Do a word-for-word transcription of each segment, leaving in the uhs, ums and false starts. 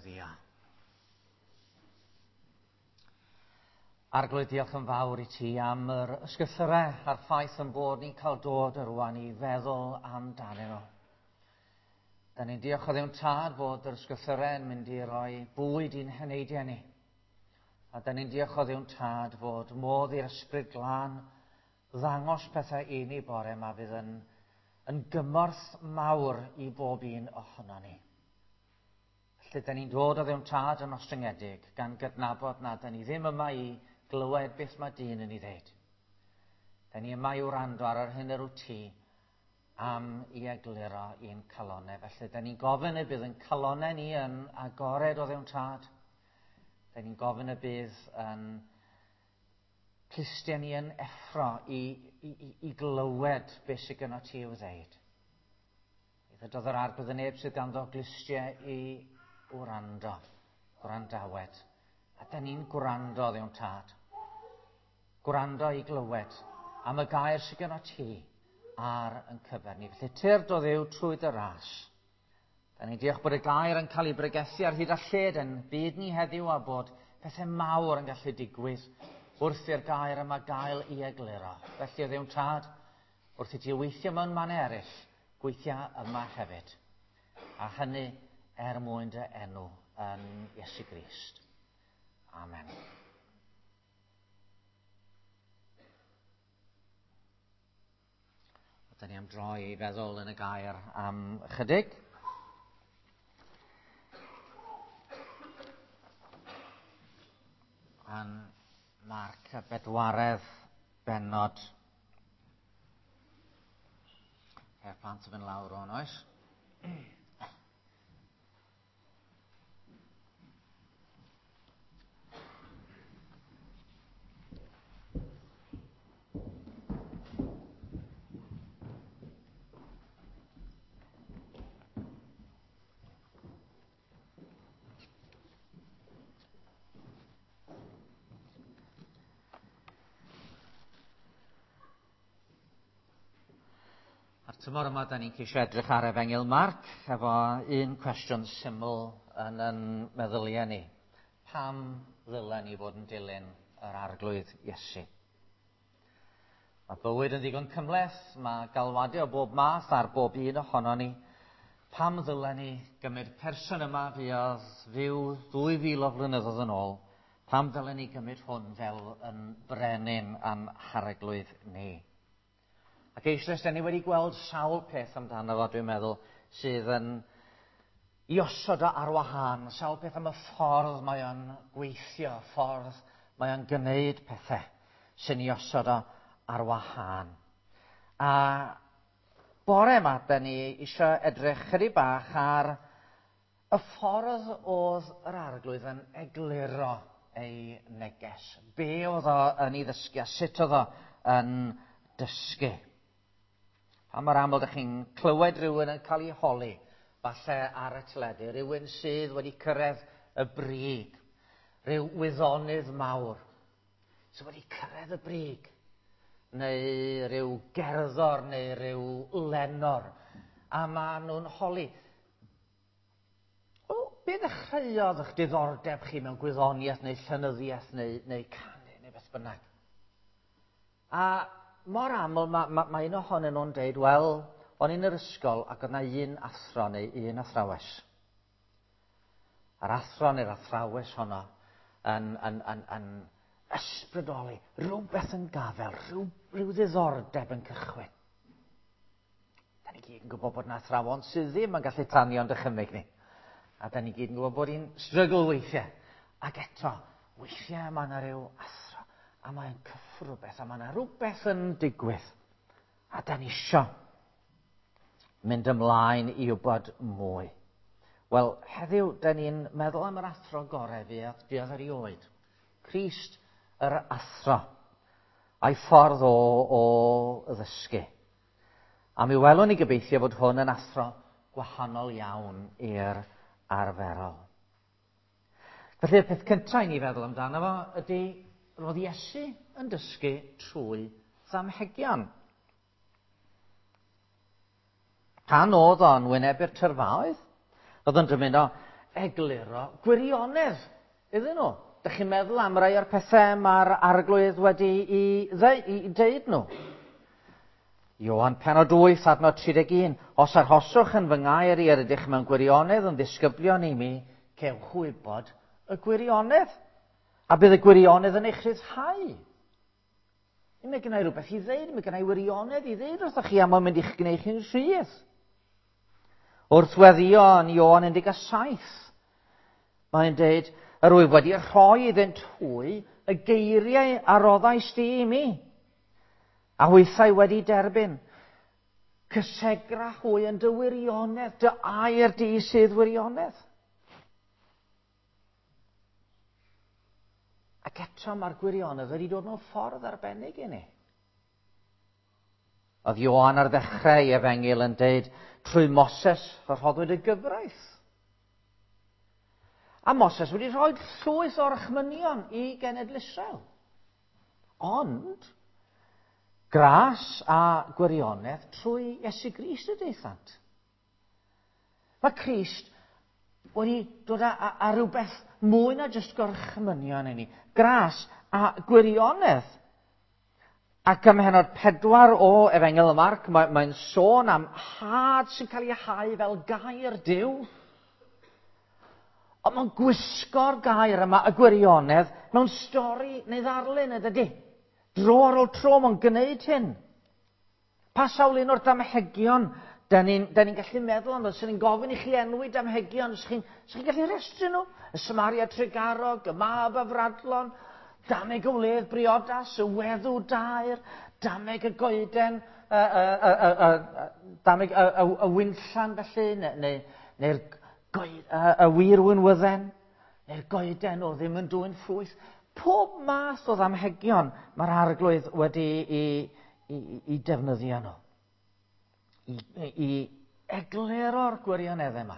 Gweddïo. Arglwydd, diolch yn fawr i ti am yr ysgrythurau a'r ffaith yn bod ni'n cael dod rwan i feddwl amdanyn nhw. Da ni'n diolch o Dduw'n Tad fod yr ysgrythurau yn mynd i roi bwyd i'n heneidiau ni. A da ni'n diolch o Dduw'n Tad fod modd i'r Ysbryd Glân ddangos pethau i ni bore yma fydd yn, yn gymorth mawr i bob un ohono ni. Felly, da ni'n dod o Dduw'n Tad yn ostyngedig, gan gydnabod na da ni ddim yma i glywed beth mae dyn yn ei ddeud. Da ni yma i wrando ar yr hyn yr wyt ti am i egluro i'n calonau. Felly, da ni'n gofyn y bydd yn calonau ni yn agored o Dduw'n Tad. Da ni'n gofyn y bydd yn clustiau ni yn effro i, i, i, i glywed beth sydd gynno ti i'w ddeud. Ddywedodd yr Arglwydd y neb sydd ganddo glustiau i wrando, gwrandawed. A da ni'n gwrando, Dduw'n Tad. Gwrando i glywed am y gair sydd gynno ti ar yn cyfer ni. Felly tyrd o Dduw trwy dy ras. Da ni'n diolch bod y gair yn cael ei bregethu ar hyd a lled yn byd ni heddiw a bod pethau mawr yn gallu digwydd wrth i'r gair yma gael ei egluro. Felly o Dduw'n Tad, wrth i ti weithio mewn mannau eraill, gweithio yma hefyd. A hynny er mwyn dy enw yn Iesu Grist. Amen. Da ni am droi i feddwl yn y gair am ychydig. Yn Marc y bedwaredd bennod. Ceir plant yn fynd lawr o'n oes. Tymor yma, da ni'n ceisio edrych ar Efengyl Marc efo un cwestiwn syml yn yn meddyliau ni. Pam ddylen ni fod yn dilyn yr Arglwydd Iesu? Mae bywyd yn ddigon cymhleth, mae galwadau o bob math ar bob un ohono ni. Pam ddylen ni gymryd person yma fuodd fyw ddwy fil o flynyddoedd yn ôl? Pam ddylen ni gymryd hwn fel yn brenin a'n harglwydd ni? Ac eisoes, da ni wedi gweld sawl peth amdano fo, dwi'n meddwl, sydd yn i osod o ar wahân, sawl peth am y ffordd mae o'n gweithio, ffordd mae o'n gwneud pethau sy'n i osod o ar wahân. A bore yma, da ni eisiau edrych chydig bach ar y ffordd oedd yr Arglwydd yn egluro ei neges. Be oedd o yn ei ddysgu a sut oedd o yn dysgu. Pa mor aml ydych chi'n clywed rhywun yn cael ei holi, falle ar y teledu, rhywun sydd wedi cyrraedd y brig, rhyw wyddonydd mawr sydd wedi cyrraedd y brig, neu rhyw gerddor neu rhyw lenor, a maen nhw'n holi, o, be ddechreuodd eich diddordeb chi mewn gwyddoniaeth neu llenyddiaeth neu, neu canu neu beth bynnag? A mor aml mae, mae, mae un ohonyn nhw'n deud, wel, o'n i'n yr ysgol ac oedd 'na un athro neu un athrawes. A'r athro neu'r athrawes honno yn, yn, yn, yn ysbrydoli, rhywbeth yn gafel, rhyw, rhyw ddiddordeb yn cychwyn. Da ni gyd yn gwybod bod 'na athrawon sydd ddim yn gallu tanio'n dychymyg ni. A da ni gyd yn gwybod bod hi'n strygl weithiau. Ac eto, weithiau mae yna rhyw athro, a mae'n cyffro rhywbeth, a mae yna rhywbeth yn digwydd. A da ni isio mynd ymlaen i wybod mwy. Wel, heddiw, da ni'n meddwl am yr athro gorau fuodd, fuodd erioed. Crist yr athro, a'i ffordd o, o ddysgu. A mi welwn ni gobeithio fod hwn yn athro gwahanol iawn i'r arferol. Felly, y peth cyntaf i ni feddwl amdano fo ydy roedd Iesu yn dysgu trwy ddamhegion. Pan oedd o'n wynebu'r tyrfaoedd, oedd o'n dymuno egluro gwirionedd iddyn nhw. Dych chi'n meddwl am rai o'r pethau mae'r Arglwydd wedi i, i ddeud nhw? Ioan pennod wyth, adnod tri deg un. Os arhoswch yn fy ngair i, yr ydych mewn gwirionedd yn ddisgyblion i mi, cewch wybod y gwirionedd. A bydd y gwirionedd yn eich rhyddhau. Mae gennau rhywbeth i ddeud, mae gennau wirionedd i ddeud wrthoch chi, a mae'n mynd i'ch gwneud chi'n rhydd. Wrth weddio yn Ioan un deg saith, mae'n deud, yr wyf wedi rhoi iddynt hwy y geiriau a roddais di i mi, a hwythau wedi derbyn. Cysegra hwy yn dy wirionedd, dy air di sydd wirionedd. Ac eto mae'r gwirionedd wedi dod mewn ffordd arbennig i ni. Oedd Ioan ar ddechrau ei efengyl yn deud, trwy Moses rhoddwyd y gyfraith. A Moses wedi rhoi llwyth o'r orchmynion i genedl Israel. Ond, gras a gwirionedd trwy Iesu Grist y daethant. Mae Crist wedi dod â, â, â rhywbeth mwy na jyst gorchmynion i ni. Gras a gwirionedd. Ac ym mhennod pedwar o Efengyl y Marc, mae, mae'n sôn am had sy'n cael ei hau fel gair Duw. Ond mae'n gwisgo'r gair yma, y gwirionedd, mewn stori neu ddarlun, ydy. Dro ar ôl tro mae'n gwneud hyn. Pa sawl un o'r damhegion da ni'n ni gallu meddwl amdano, sy'n ni'n gofyn i chi enwi damhegion, ydych chi'n chi gallu rhestru nhw? Y Samaria Tregarog, y Mab Afradlon, dameg y wledd briodas, y weddw dair, dameg y goeden, y, y, y, y, y, dameg y, y, y winllan felly, neu, neu, neu'r goed, y, y wir winwydden, neu'r goeden o ddim yn dwyn ffrwyth. Pob math o ddamhegion mae'r Arglwydd wedi i, i, i defnyddio nhw. I, i egluro'r gwirioneddau yma.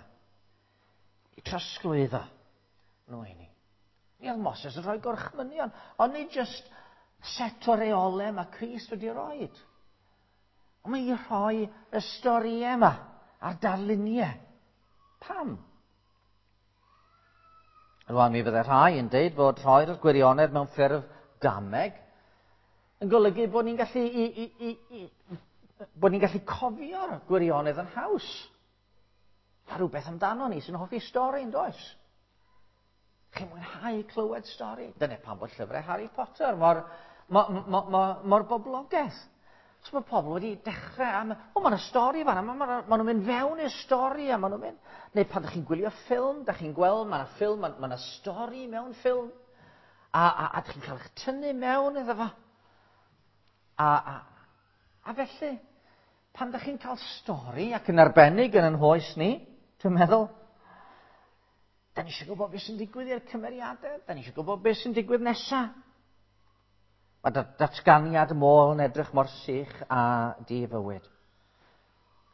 I trosglwyddo nhw i ni. Mi oedd Moses yn rhoi gorchmynion, ond nid jyst set o reolau mae Crist wedi rhoi. Ond mae i rhoi y storïau yma a'r darluniau. Pam? Rwan mi fydde rhai yn deud fod rhoi'r gwirionedd mewn ffurf dameg yn golygu bod ni'n gallu i, i, i, i, bod ni'n gallu cofio'r gwirionedd yn haws. A rhywbeth amdano ni sy'n hoffi stori, yn does? Chi'n mwynhau clywed stori? Dyna pam bod llyfrau Harry Potter mor, mor, mor, mor, mor boblogaidd. So mae pobl wedi dechrau am, o, mae'n stori fan, ma, ma, ma nhw'n mynd fewn i'r stori, a ma nhw'n mynd. Neu pan ydych chi'n gwylio ffilm, ydych chi'n gweld, mae'n ffilm, mae'n ma stori mewn ffilm, a, a, a ydych chi'n cael eich tynnu mewn iddo fo. A, a, a felly, pan ydych chi'n cael stori, ac yn arbennig yn yn hoes ni, dwi'n meddwl, da ni eisiau gwybod beth sy'n digwydd i'r cymeriadau, da ni eisiau gwybod beth sy'n digwydd nesaf. Mae datganiad môl yn edrych mor sych a di-fywyd.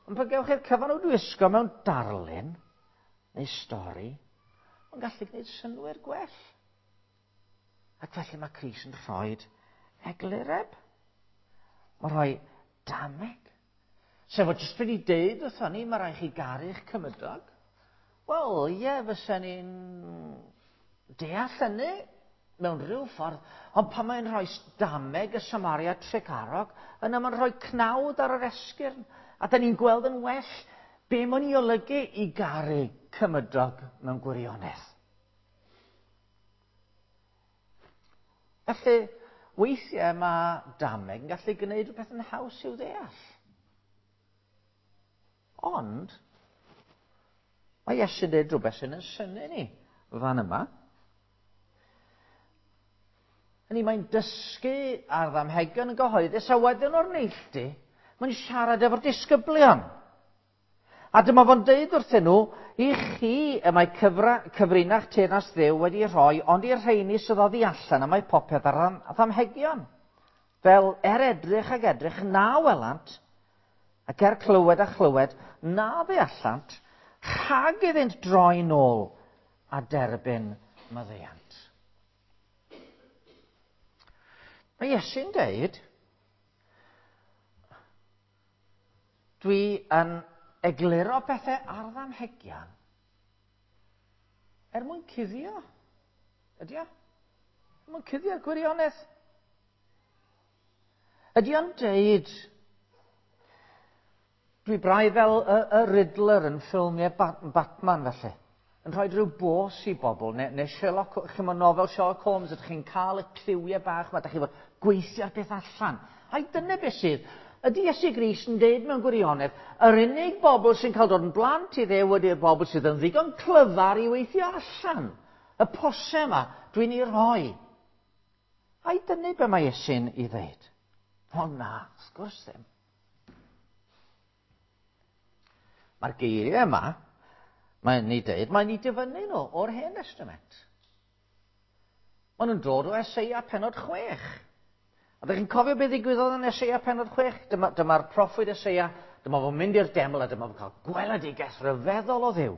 Ond pan gewch chi'r cyfan o wisgo mewn darlun neu stori, mae'n gallu gwneud synnwyr gwell. Ac felly mae Crist yn rhoi eglureb. Mae'n rhoi dameg. Sef o jyst wedi deud wrthon ni, mae rhaid chi garu'ch cymydog. Wel, ie, fysa ni'n deall hynny mewn rhyw ffordd, ond pan mae'n rhoi dameg y Samaria Tregarog, yna mae'n rhoi cnawd ar yr esgyrn, a da ni'n gweld yn well be mae'n ei olygu i garu cymydog mewn gwirionedd. Felly, weithiau mae dameg yn gallu gwneud rhywbeth yn haws i'w ddeall. Ond, mae Iesu'n dweud rhywbeth sy'n yn synnu ni fan yma. Hynny, mae'n dysgu ar ddamhegion yn gyhoeddus, a wedyn o'r neilltu, mae'n siarad efo'r disgyblion. A dyma fo'n deud wrthyn nhw, i chi y mae cyfra, cyfrinach teyrnas Dduw wedi rhoi, ond i'r rheini sydd oddi allan, a mae popeth ar ddamhegion. Fel er edrych ag edrych na welant, ac er clywed a chlywed na ddeallant, rhag iddynt droi nôl a derbyn maddeuant. Mae Iesu'n deud, dwi yn egluro pethau ar ddamhegion, Er mwyn cuddio? Ydy o? Er mwyn cuddio'r gwirionedd? Ydy o'n deud, dwi braidd fel y, y Riddler yn ffilmiau Batman felly, yn rhoi rhyw bos i bobl, neu, neu Sherlock, chi'mod nofel Sherlock Holmes, ydych chi'n cael y cliwiau bach yma, ydych chi'n fod gweithio'r beth allan. Ai dyna beth sydd? Ydy Iesu Grist yn deud mewn gwirionedd, yr unig bobl sy'n cael dod yn blant i Dduw ydy'r bobl sydd yn ddigon clyfar i weithio allan. Y posau yma dwi'n ei rhoi. Ai dyna be mae Iesu'n ei ddeud? O na, wrth gwrs ddim. Mae'r geiriau yma, mae'n ei dweud, mae'n ei dyfynnu nhw o'r Hen Testament. Maen nhw'n dod o Eseia pennod chwech. A ydych chi'n cofio beth ddigwyddodd yn Eseia pennod chwech? Dyma, dyma'r proffwyd Eseia, dyma fo'n mynd i'r deml a dyma fo'n cael gweledigaeth ryfeddol o Dduw.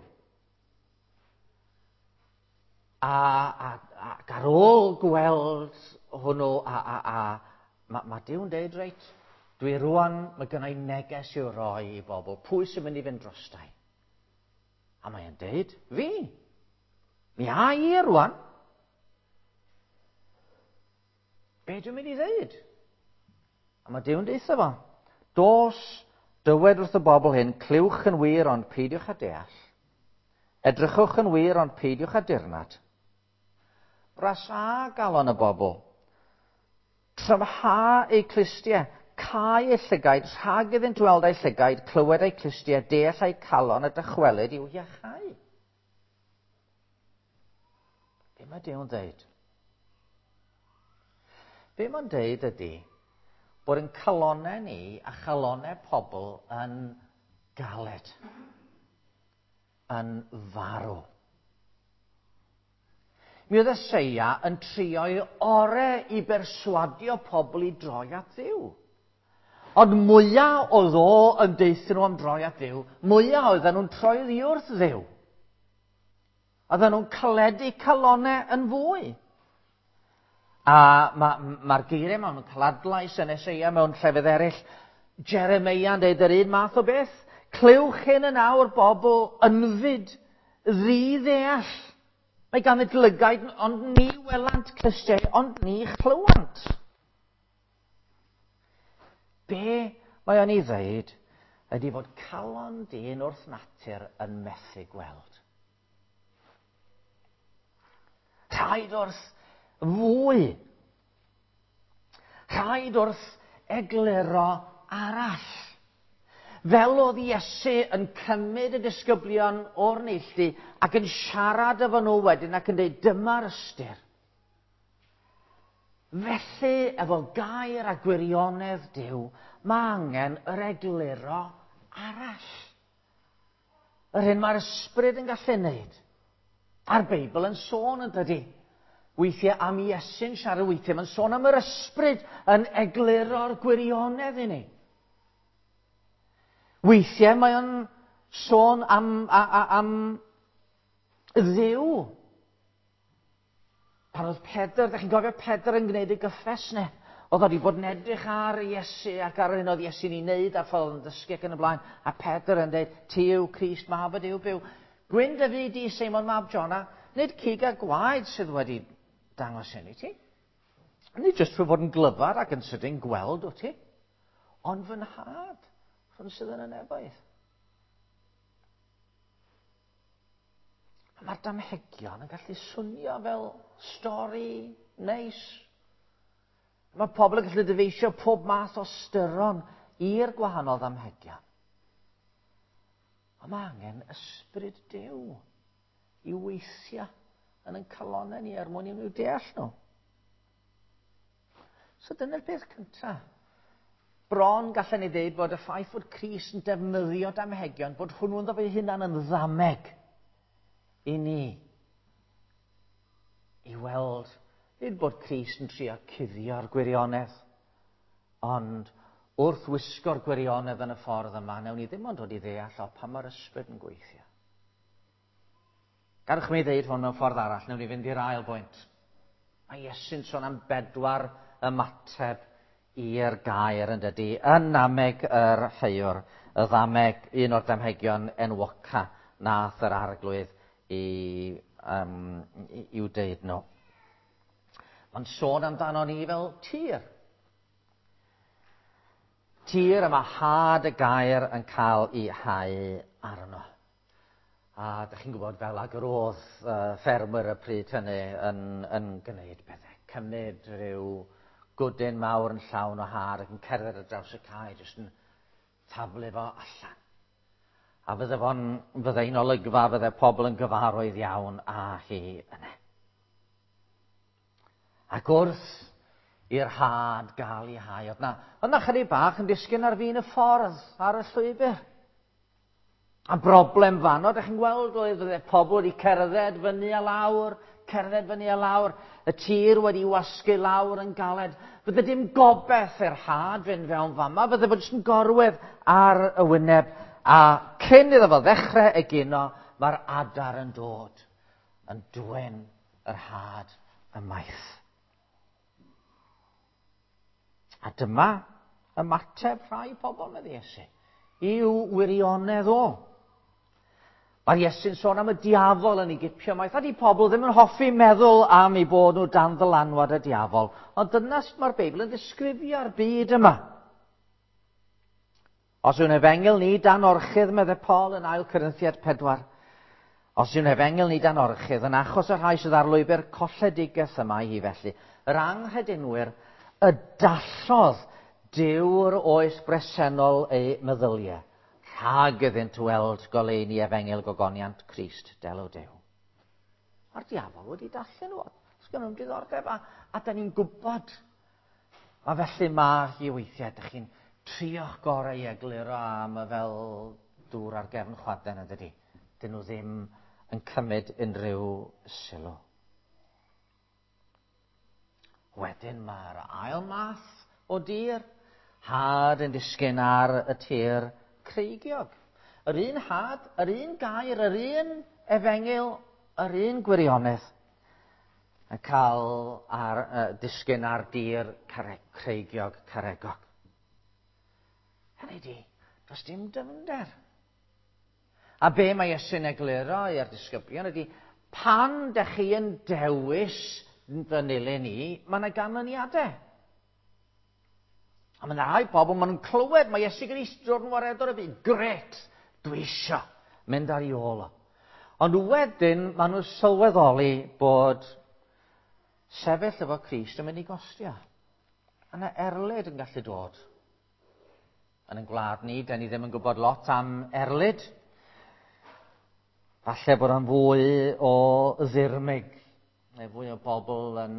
A, a, ac ar ôl gweld hwnnw, a, a, a mae ma Duw'n deud, reit, dwi rwan, mae gynna i neges i'w roi i bobl. Pwy sy'n mynd i fynd drostai? A mae'n deud, fi. Mi a i rwan. Be dwi'n mynd i ddeud? A mae Duw'n deutha fo. Dos, dywed wrth y bobl hyn, clywch yn wir ond peidiwch â deall. Edrychwch yn wir ond peidiwch â dirnad. Brasa galon y bobl. Trymha eu clustiau, cau eu llygaid, rhag iddynt weld eu llygaid, clywed eu clustiau, deall eu calon a dychwelyd i'w iachau. Be mae Duw'n dweud? Be mae'n dweud ydy bod yn calonau ni a chalonau pobl yn galed, yn farw. Mi oedd Eseia yn trio'i orau i berswadio pobl i droi at Dduw. Ond mwyaf oedd o yn deutha nhw am droi at Dduw, mwyaf oedden nhw'n troi oddi wrth Dduw. Oedden nhw'n caledu calonau yn fwy. A mae'r ma geiriau mewn cael adlais yn Eseia mewn llefydd eraill. Jeremeia'n deud yr un math o beth. Clywch hyn yn awr bobl ynfyd, ddi-ddeall. Mae ganddynt lygaid, ond ni welant, clustiau, ond ni chlywant. Be mae o'n ei ddeud ydy fod calon dyn wrth natur yn methu gweld. Rhaid wrth fwy. Rhaid wrth egluro arall. Fel oedd Iesu yn cymryd y disgyblion o'r neilltu ac yn siarad efo nhw wedyn ac yn dweud dyma'r ystyr. Felly, efo gair a gwirionedd Duw, mae angen yr egluro arall. Yr hyn mae'r ysbryd yn gallu wneud. A'r Beibl yn sôn yn dydy. Weithiau am Iesu'n siarad, weithiau mae'n sôn am yr ysbryd yn egluro'r gwirionedd i ni. Weithiau mae o'n sôn am, a, a, am Dduw. Pan oedd Pedr, ydych chi'n cofio Pedr yn gwneud ei gyffes ne? Oedd wedi bod yn edrych ar Iesu ac ar yr hyn oedd Iesu'n ei wneud a'r ffordd yn dysgu ac yn y blaen. A Pedr yn dweud, ti yw Crist, mab y Duw byw. Gwyn dy fyd di, Seimon mab Jona, nid cig a gwaed sydd wedi dangos hyn i ti. Nid jyst trwy fod yn glyfar ac yn sydyn gweld o ti, ond fy nhad, rhwng sydd yn y nefoedd. Mae'r damhegion yn gallu swnio fel stori neis. Mae pobl yn gallu dyfeisio pob math o styron i'r gwahanol ddamhegion. Ond mae angen ysbryd Duw i weithio yn ein calonnau ni er mwyn i nhw deall nhw. So dyna'r peth cyntaf. Bron gallen ni ddeud bod y ffaith fod Crist yn defnyddio damhegion, bod hwnnw'n ddo fe hunan yn ddameg i ni. I weld, nid bod Crist yn trio cuddio'r gwirionedd, ond wrth wisgo'r gwirionedd yn y ffordd yma, newn ni ddim ond dod i ddeall o pa mae'r ysbryd yn gweithio. Gadewch mi ddeud hwn mewn ffordd arall, newn ni fynd i'r ail bwynt. Mae Iesu'n sôn am bedwar ymateb i'r gair yn dydy, yn nameg yr heuwr, y ddameg, un o'r damhegion enwoca nath yr arglwydd i um, i'w deud nhw. Mae'n sôn amdano ni fel tir. Tir y mae had y gair yn cael ei hau arno. A dych chi'n gwybod fel ag yr oedd uh, ffermwyr y pryd hynny yn, yn gwneud pethau. Cymryd rhyw gwdyn mawr yn llawn o had ac yn cerdded ar draws y cae, jyst yn taflu fo allan. A fydde fo'n, fydde un olygfa, fydde pobl yn gyfarwydd iawn â hi yna. Ac wrth i'r had gael ei hau, oedd na, oedd na chydig bach yn disgyn ar fin y ffordd, ar y llwybr. A broblem fanno, dych chi'n gweld, oedd fydde pobl wedi cerdded fyny a lawr, cerdded fyny a lawr, y tir wedi wasgu lawr yn galed. Fydde dim gobeith i'r had fynd fewn fama, fydde fod jyst yn gorwedd ar y wyneb, a cyn iddo fo ddechrau egino, mae'r adar yn dod, yn dwyn yr had ymaith. A dyma ymateb rhai pobl, medde Iesu, i'w wirionedd o. Mae Iesu'n sôn am y diafol yn ei gipio maith. A di pobl ddim yn hoffi meddwl am eu bod nhw dan ddylanwad y diafol. Ond dyna sut mae'r Beibl yn ddisgrifio'r byd yma. Os yw'n efengyl ni dan orchudd, medde Paul yn ail Corinthiaid pedwar. Os yw'n efengyl ni dan orchudd, yn achos y rhai sydd ar lwybr colledigaeth yma hi felly, yr anghredinwyr y dallodd Duw'r oes bresennol eu meddyliau, rhag iddynt weld goleuni efengyl gogoniant Crist, delw Duw. Mae'r diafol wedi dallu nhw. Sgynnon nhw'm diddordeb, a, a da ni'n gwybod. A felly mae hi weithiau, dych chi'n trio'ch gorau i egluro am y fel dŵr ar gefn chwaden, yn dydi. Dyn nhw ddim yn cymryd unrhyw sylw. Wedyn mae'r ail math o dir, had yn disgyn ar y tir creigiog. Yr un had, yr un gair, yr un efengyl, yr un gwirionedd yn cael ar, uh, disgyn ar dir care, creigiog, caregog. Hynny di, does dim dyfnder. A be mae Iesu'n egluro i'r disgyblion ydy, pan dych chi yn dewis fy nilyn i, mae yna ganlyniadau. A mae yna rhai pobl, maen nhw'n clywed, mae Iesu Grist dod yn waredwr y byd. Gret, dwi isio mynd ar ei ôl o. Ond wedyn, maen nhw'n sylweddoli bod sefyll efo Crist yn mynd i gostio. A yna erlid yn gallu dod. Yn ein gwlad ni, da ni ddim yn gwybod lot am erlid. Falle bod o'n fwy o ddirmyg, neu fwy o bobl yn,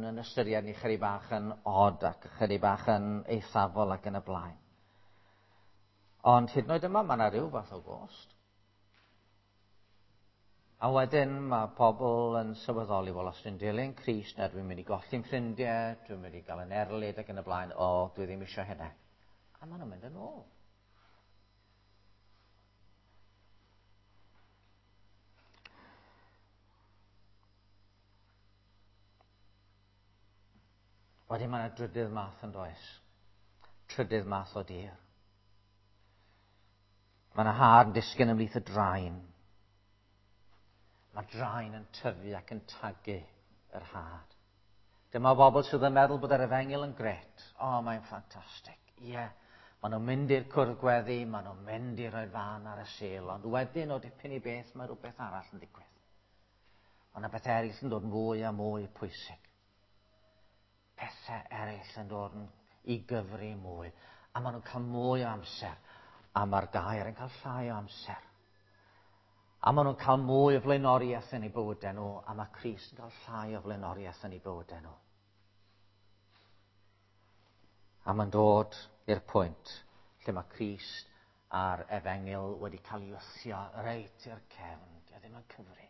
yn ystyried ni chydig bach yn od ac chydig bach yn eithafol ac yn y blaen. Ond hyd yn oed yma, mae yna rhyw fath o gost. A wedyn mae pobl yn sylweddoli, wel, os dwi'n dilyn Crist, na dwi'n mynd i golli'n ffrindiau, dwi'n mynd i gael yn erlid ac yn y blaen, o, dwi ddim eisiau hynna. A maen nhw'n mynd yn ôl. Wedyn mae yna drydydd math yn does. Trydydd math o dir. Mae yna had yn disgyn ymhlith y draen. Mae draen yn tyfu ac yn tagu yr had. Dyma bobl sydd yn meddwl bod yr efengyl yn gret. O, oh, mae'n ffantastig. Ie, yeah. Maen nhw'n mynd i'r cwrdd gweddi, maen nhw'n mynd i roi'r fan ar y Sul, ond wedyn o dipyn i beth mae rhywbeth arall yn digwydd. Mae yna bethau eraill yn dod yn fwy a mwy pwysig. Pethau eraill yn dod yn i gyfri mwy, a maen nhw'n cael mwy o amser, a mae'r gair yn cael llai o amser. A maen nhw'n cael mwy o flaenoriaeth yn eu bywydau nhw, a mae Crist yn cael llai o flaenoriaeth yn eu bywydau nhw. A mae'n dod i'r pwynt lle mae Crist a'r efengyl wedi cael ei wthio reit i'r cefn. Dio ddim yn cyfri.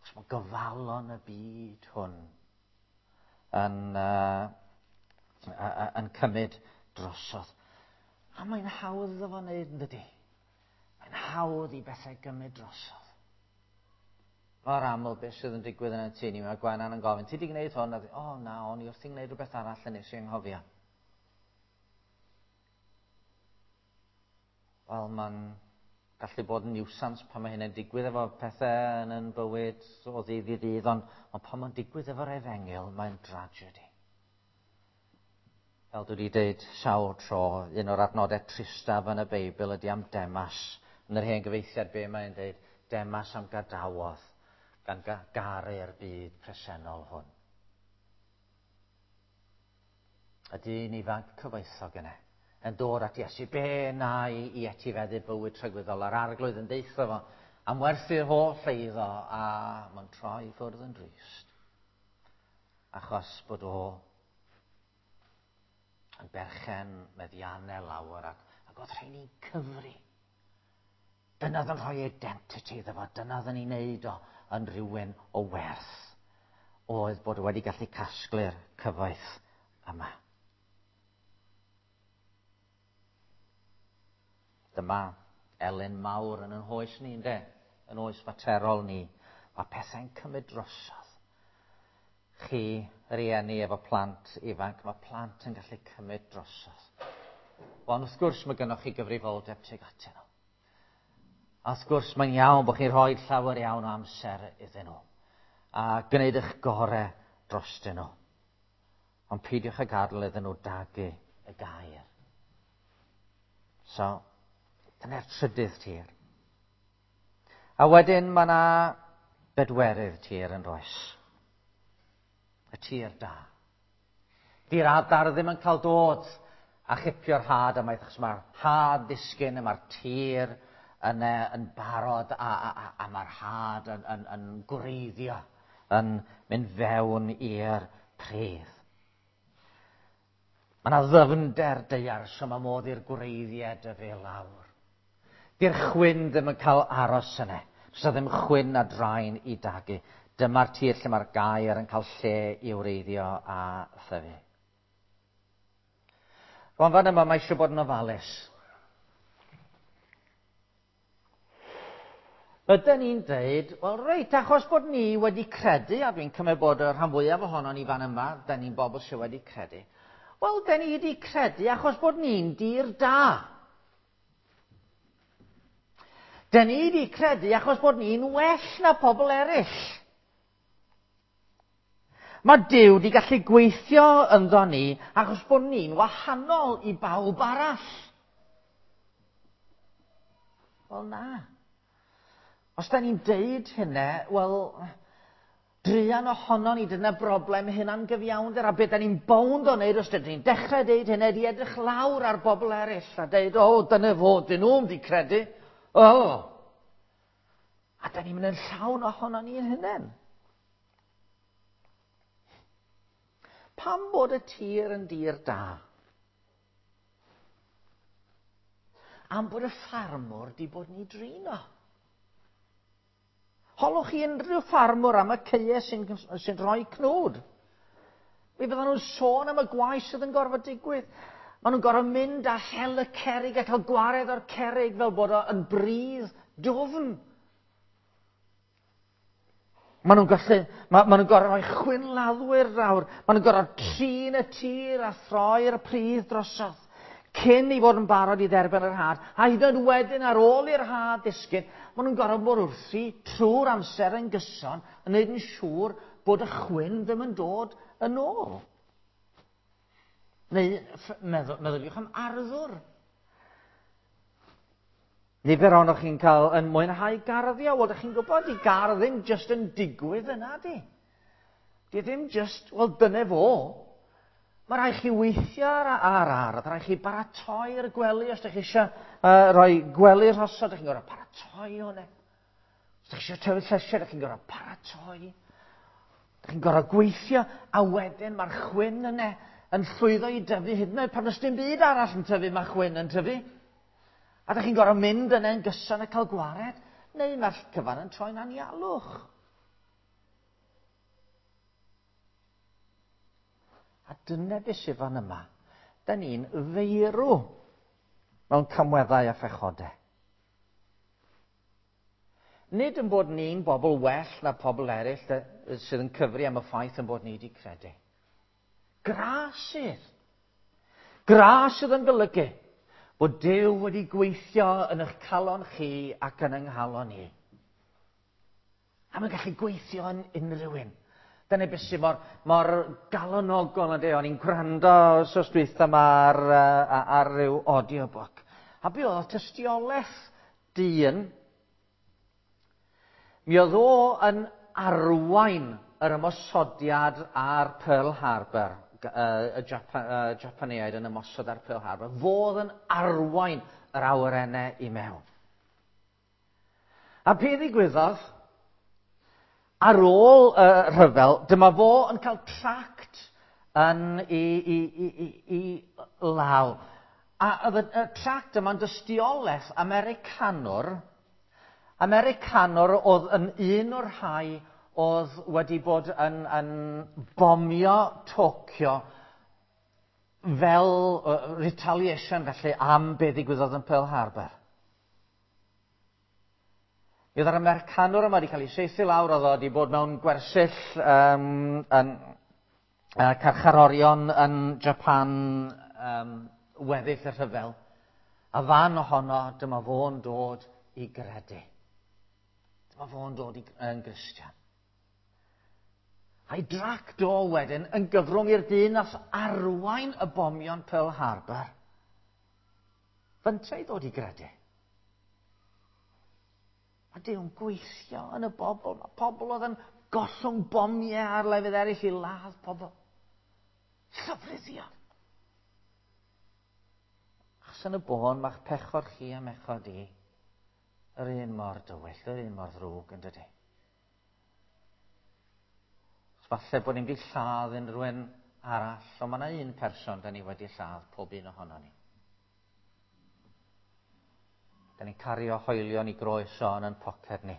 Achos mae gofalon y byd hwn yn, uh, yn cymryd drosodd. A mae'n hawdd iddo fo wneud, yn dydi? Mae'n hawdd i bethau gymryd drosodd. Mor aml beth sydd yn digwydd yn y tŷ ni, mae Gwenan yn gofyn, ti di gwneud hwn? A o oh, na, o'n i wrthi'n gwneud rhywbeth arall yn nes i anghofio. Wel, mae'n Gallu bod yn niwsans pan mae hynny'n digwydd efo pethau yn yn bywyd o ddydd i ddydd, ond, ond pan mae'n digwydd efo'r efengyl, mae'n dragedy. Fel dwi wedi dweud sawl tro, un o'r adnodau tristaf yn y Beibl ydy am Demas. Yn yr hen gyfeithiad be mae'n dweud, Demas am gadawodd gan garu'r byd presennol hwn. Y dyn ifanc cyfoethog yna yn dod at Iesu, be na i, i etifeddu bywyd tragwyddol, a'r arglwydd yn deitho fo am werthu'r holl eiddo, a mae'n troi ffwrdd yn drist. Achos bod o yn berchen meddiannau lawer ac, ac oedd rheini'n cyfri. Dyna oedd yn rhoi identity iddo fo, dyna oedd yn ei wneud o yn rhywun o werth. Oedd bod wedi gallu casglu'r cyfoeth yma. Dyma elyn mawr yn yn hoes ni, ynde? Yn oes faterol ni. Mae pethau'n cymryd drosodd. Chi, rieni efo plant ifanc, mae plant yn gallu cymryd drosodd. Ond wrth gwrs mae gennych chi gyfrifoldeb tuag atyn nhw. A wrth gwrs mae'n iawn bod chi'n rhoi llawer iawn o amser iddyn nhw. A gwneud eich gorau drostyn nhw. Ond peidiwch â gadael iddyn nhw dagu y gair. So, dyna'r trydydd tir. A wedyn mae yna bedwerydd tir yn does. Y tir da. Di'r adar ddim yn cael dod a chipio'r had ymaith, achos mae'r had ddisgyn a mae'r tir yn, yn barod a, a, a, a mae'r had yn, yn, yn gwreiddio, yn mynd fewn i'r pridd. Mae yna ddyfnder daear, so mae modd i'r gwreiddiau dyfu lawr. Di'r chwyn ddim yn cael aros yna. Does yna ddim chwyn a draen i dagu. Dyma'r tir lle mae'r gair yn cael lle i wreiddio a thyfu. Rwan fan yma mae eisiau bod yn ofalus. Ydyn ni'n dweud, wel reit, achos bod ni wedi credu, a dwi'n cymryd bod y rhan fwyaf ohonon ni fan yma, da ni'n bobl sydd wedi credu. Wel, da ni wedi credu achos bod ni'n dir da. Da ni wedi credu achos bod ni'n well na pobl eraill. Mae Duw wedi gallu gweithio ynddo ni achos bod ni'n wahanol i bawb arall. Wel na. Os da ni'n deud hynna, wel, druan ohono ni, dyna broblem hynna'n gyfiawnder, a beth da ni'n bownd o wneud os dyn ni'n dechrau deud hynna, di edrych lawr ar bobl eraill a deud, o, oh, dyna fo, dyn nhw'n di credu. O! Oh. A da ni'n mynd yn llawn ohono ni'n hunain. Pam bod y tir yn dir da? Am bod y ffarmwr di bod ni drin o. Holwch chi unrhyw ffarmwr am y caeau sy'n, sy'n rhoi cnwd. Mi fyddan nhw'n sôn am y gwaith sydd yn gorfod digwydd. Maen nhw'n gorfod mynd a hel y cerrig a cael gwared o'r cerrig fel bod o yn bridd dwfn. Maen nhw'n gallu, ma, maen nhw'n gorfod rhoi chwynladdwyr nawr. Maen nhw'n gorfod trin y tir a throi'r pridd drosodd cyn i fod yn barod i dderbyn yr had. A hyd yn oed wedyn ar ôl i'r had ddisgyn, maen nhw'n gorfod bod wrthi trwy'r amser yn gyson yn gwneud yn siŵr bod y chwyn ddim yn dod yn ôl. Neu meddwl, meddyliwch am arddwr. Nifer ohonoch chi'n cael yn mwynhau garddio. Wel, ydych chi'n gwybod, di gardd ddim just yn digwydd yna, di. Di ddim just, wel, dyna fo. Mae rhaid chi weithio ar, ar ardd, rhaid chi baratoi'r gwely os ydych chi eisiau uh, rhoi gwely rhosod, ydych chi'n gorfod paratoi hwnna. Os ydych chi eisiau tyfu llysiau, ydych chi'n gorfod paratoi. Ydych chi'n gorfod gweithio, a wedyn mae'r chwyn yna yn llwyddo i dyfu hyd yn oed pan oes dim byd arall yn tyfu, mae chwyn yn tyfu. A ydych chi'n gorfod mynd yna yn gyson a cael gwared, neu mae'r cyfan yn troi'n anialwch. A dyna beth sydd fan yma. Da ni'n feirw mewn camweddau a phechodau. Nid yn bod ni'n bobl well na pobl eraill sydd yn cyfri am y ffaith yn bod ni wedi credu. Gras sydd. Gras sydd yn golygu Bod Duw wedi gweithio yn eich calon chi ac yn yng nghalon i. A mae'n gallu gweithio yn unrhyw un. Dyna beth sydd mor, mor galonogol yn de. O'n i'n gwrando wsos dwytha yma ar, ar, ar ryw audiobook. A be oedd tystiolaeth dyn, mi oedd o yn arwain yr ymosodiad ar Pearl Harbor, y Japan, y Japaneaid yn ymosod ar Pearl Harbor. Fo oedd yn arwain yr awyrennau i mewn. A be ddigwyddodd? Ar ôl y rhyfel, dyma fo yn cael tract yn i, i, i, i, i law. A oedd y, y tract yma'n dystiolaeth Americanwr. Americanwr oedd yn un o'r rhai oedd wedi bod yn, yn bomio Tokyo fel uh, retaliation felly am be ddigwyddodd yn Pearl Harbor. Mi oedd yr Americanwr yma wedi cael ei saethu lawr, oedd o wedi bod mewn gwersyll um, yn, uh, carcharorion yn Japan um, weddill y rhyfel. A fan ohono, dyma fo'n dod i gredu. Dyma fo'n dod i, yn Gristion. A'i dract o wedyn yn gyfrwng i'r dyn nath arwain y bomion Pearl Harbor. Fynta i ddod i gredu. Mae Duw'n gweithio yn y bobl. Mae pobl oedd yn gollwng bomiau ar lefydd eraill i ladd pobl. Llofruddion. Achos yn y bôn, mae'ch pechod chi a mechod i yr un mor dywyll, yr un mor ddrwg yn dydy. Falle bod ni'n wedi lladd unrhyw un arall, ond mae yna un person da ni wedi lladd pob un ohono ni. Da ni'n cario hoelion i groeso yn ein poced ni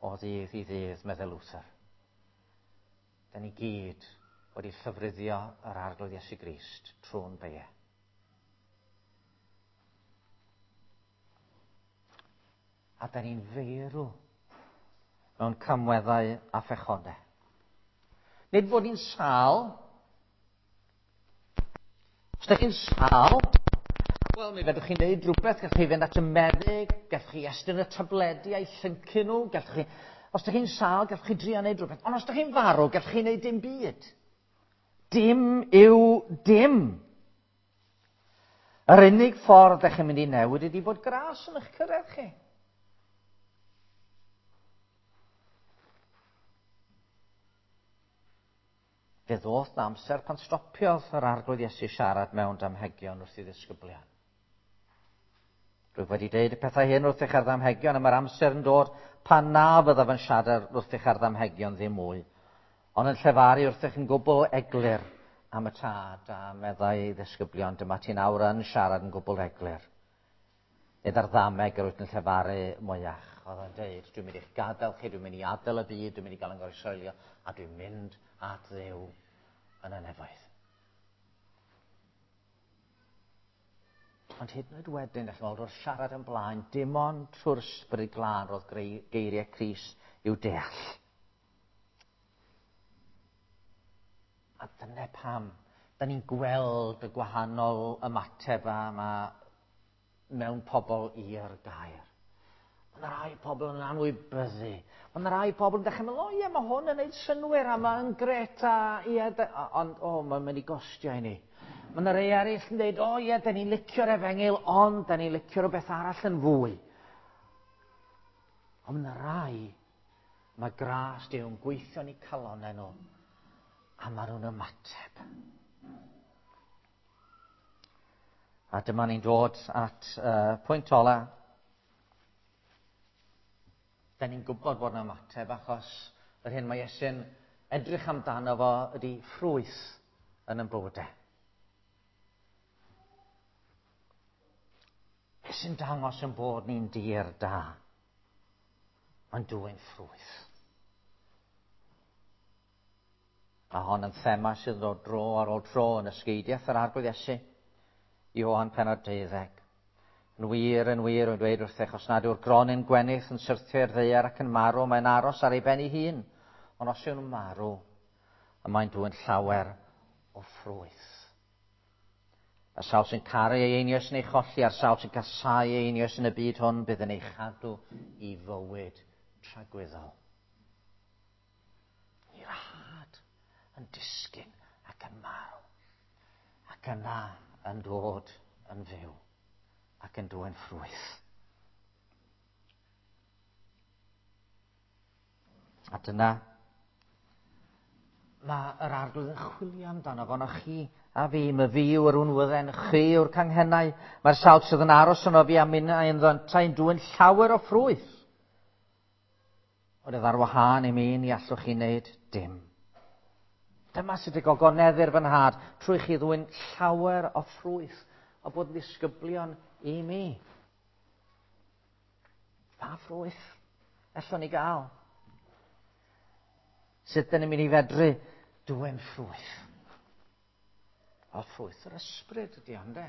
o ddydd i ddydd, meddwl Luther. Da ni gyd wedi llofruddio yr Arglwydd Iesu Grist trwy'n beie. A da ni'n feirw mewn camweddau a phechodau. Nid bod ni'n sâl. Os ydych chi'n sâl, wel, mi fedrwch chi wneud rhywbeth, gallwch chi fynd at y meddyg, gallwch chi estyn y tabledi a'i llyncu nhw, gallwch chi... Os ydych chi'n sâl, gallwch chi drio wneud rhywbeth. Ond os ydych chi'n farw, gallwch chi wneud dim byd. Dim yw dim. Yr unig ffordd ydych chi'n mynd i newid ydy bod gras yn eich cyrraedd chi. Fe ddoth na amser pan stopiodd yr Arglwydd Iesu siarad mewn damhegion wrth ei ddisgyblion. Rwyf wedi deud y pethau hyn wrthych ar ddamhegion, a mae'r amser yn dod pan na fyddaf yn siarad wrthych ar ddamhegion ddim mwy, ond yn llefaru wrthych yn gwbl eglur am y tad, a meddai ei ddisgyblion, dyma ti'n awr yn siarad yn gwbl eglur. Nid ar ddameg yr wyt yn llefaru mwyach. Oedd o'n deud, dwi'n mynd i'ch gadael chi, dwi'n mynd i adael y byd, dwi'n mynd i gael yn goresoelio, a dwi'n mynd at Dduw yn y nefoedd. Ond hyd yn oed wedyn, allwn weld wrth siarad yn blaen, dim ond trwy'r Ysbryd Glân roedd geiriau Crist i'w deall. A dyna pam, da ni'n gweld y gwahanol ymateb yma mewn pobl i'r gair. Mae yna rai pobl yn anwybyddu. Mae yna rai pobl yn dechrau meddwl, o ie, mae hwn yn neud synnwyr a mae'n gret a ie, ond o, mae'n mynd i gostio i ni. Mae yna rai eraill yn dweud, o ie, da ni'n licio'r efengyl, ond da ni'n licio rhywbeth arall yn fwy. Ond mae yna rai, mae gras Duw yn gweithio yn eu calonnau nhw, a maen nhw'n ymateb. A dyma ni'n dod at uh, pwynt ola. Da ni'n gwybod bod yna ymateb achos yr hyn mae Iesu'n edrych amdano fo ydy ffrwyth yn ein bywydau. Beth sy'n dangos yn bod ni'n dir da? Mae'n dwyn ffrwyth. A hon yn thema sydd yn dod dro ar ôl tro yn ysgeidiaeth yr Arglwydd Iesu. Ioan pennod deuddeg. Yn wir, yn wir, yn dweud wrthych, os nad yw'r gronyn gwenith yn syrthio i'r ddaear ac yn marw, mae'n aros ar ei ben ei hun. Ond os yw'n marw, y mae'n dwyn llawer o ffrwyth. Y sawl sy'n caru ei einioes yn ei cholli, a'r sawl sy'n casáu ei einioes yn y byd hwn bydd yn ei chadw i fywyd tragwyddol. I'r had yn disgyn ac yn marw, ac yna yn dod yn fyw ac yn dwyn ffrwyth. A dyna mae yr Arglwydd yn chwilio amdano fo, no chi a fi, my fi yw'r unwydden, chi yw'r canghennau. Mae'r sawl sydd yn aros yno fi a minnau ynddo yntau yn dwyn llawer o ffrwyth. Ond ar wahân i mi, ni allwch chi wneud dim. Dyma sut y gogoneddir fy nhad, trwy chi ddwyn llawer o ffrwyth o bod yn ddisgyblion i mi. Pa ffrwyth allwn ni gael? Sut dyn ni'n mynd i fedru dwyn ffrwyth? O, ffrwyth yr ysbryd ydy o, ynde?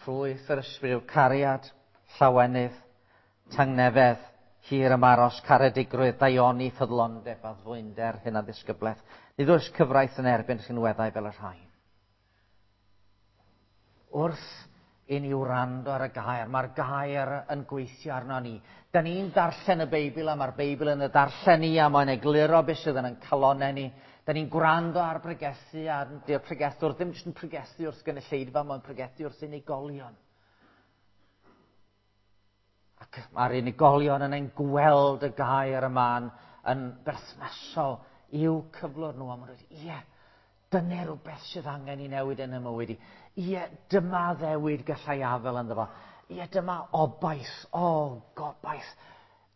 Ffrwyth yr ysbryd yw cariad, llawenydd, tangnefedd, hir ymaros, caredigrwydd, daioni, ffyddlondeb, addfwynder, hunanddisgyblaeth. Nid oes cyfraith yn erbyn rhinweddau fel y rhain. Wrth i ni wrando ar y gair, mae'r gair yn gweithio arno ni. Da ni'n darllen y Beibl a mae'r Beibl yn y darllen ni a mae'n egluro beth sydd yn ein calonnau ni. Da ni'n gwrando ar bregethu a di'r pregethwr ddim jyst yn pregethu wrth gynulleidfa, mae'n pregethu wrth unigolion. Ac mae'r unigolion yn ein gweld y gair yma yn, yn berthnasol i'w cyflwr nhw. A maen nhw'n dweud, ie, dyna rhywbeth sydd angen i newid yn y mywyd i. Ie, dyma ddewid gallai afel ynddo fo. Ie, dyma obaith, o, gobaith.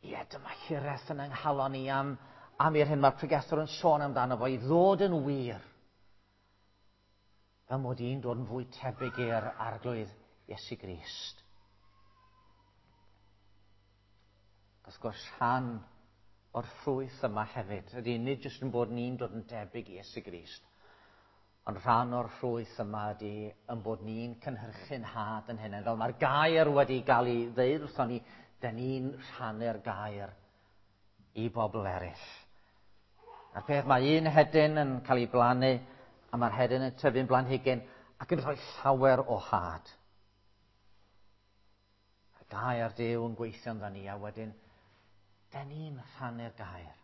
Ie, dyma hiraeth yn yng nghalon i am, am i'r hyn mae'r pregethwr yn sôn amdano fo, i ddod yn wir. Fel mod i'n dod yn fwy tebyg i'r Arglwydd Iesu Grist. Wrth gwrs, rhan o'r ffrwyth yma hefyd ydy nid jyst yn bod ni'n dod yn debyg i Iesu Grist, ond rhan o'r ffrwyth yma ydy yn bod ni'n cynhyrchu'n had yn hynny. Fel mae'r gair wedi gael ei ddeud wrthon ni, dyn ni'n rhannu'r gair i bobl eraill. A'r peth, mae un hedyn yn cael ei blannu, a mae'r hedyn yn tyfu'n blanhigyn ac yn rhoi llawer o had. Y gair Duw yn gweithio ynddo ni, a wedyn, dyn ni'n rhannu'r gair.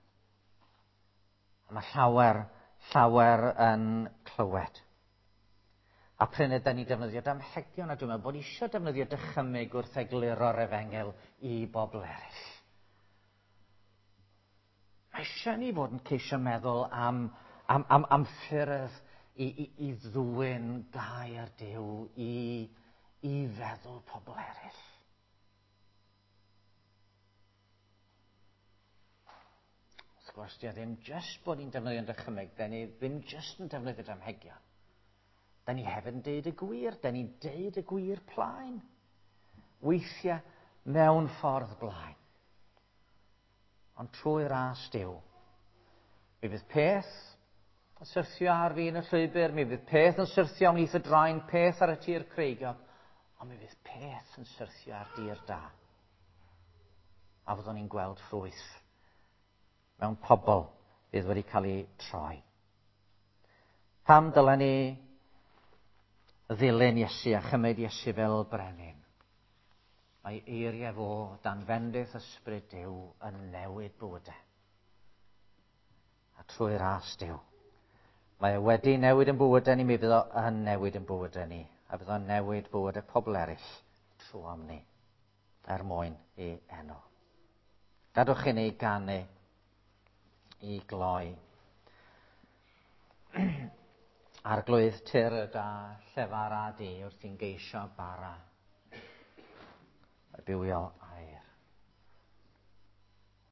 A mae llawer, llawer yn clywed. A prin ydyn ni'n defnyddio damhegion, a dwi'n meddwl bod eisiau defnyddio dychymyg wrth egluro'r efengyl i bobl eraill. Mae eisiau ni fod yn ceisio meddwl am, am, am, am ffyrdd i, i, i ddwyn gair Duw i, i feddwl pobl eraill. Wrth gwrs, di o ddim jyst bod ni'n defnyddio'n dychymyg, da ni ddim jyst yn defnyddio damhegion. Da ni hefyd yn deud y gwir, da ni'n deud y gwir plaen. Weithiau mewn ffordd blaen. Ond trwy ras Duw, mi fydd peth yn syrthio ar fin y llwybr, mi fydd peth yn syrthio ymhlith y draen, peth ar y tir creigiog, ond mi fydd peth yn syrthio ar dir da. A fyddwn ni'n gweld ffrwyth mewn pobl fydd wedi cael eu troi. Pam dylen ni ddilyn Iesu a chymryd Iesu fel brenin? Mae eiriau fo dan fendith ysbryd Duw yn newid bywydau. A trwy ras Duw. Mae e wedi newid yn bywydau ni, mi fydd o yn newid yn bywydau ni. A fydd o'n newid bywydau pobl eraill trwy am ni, er mwyn i enw. Gadwch i ni ganu i gloi. Arglwydd tir y da, llefar a di wrth i'n geisio bara. Y bywiol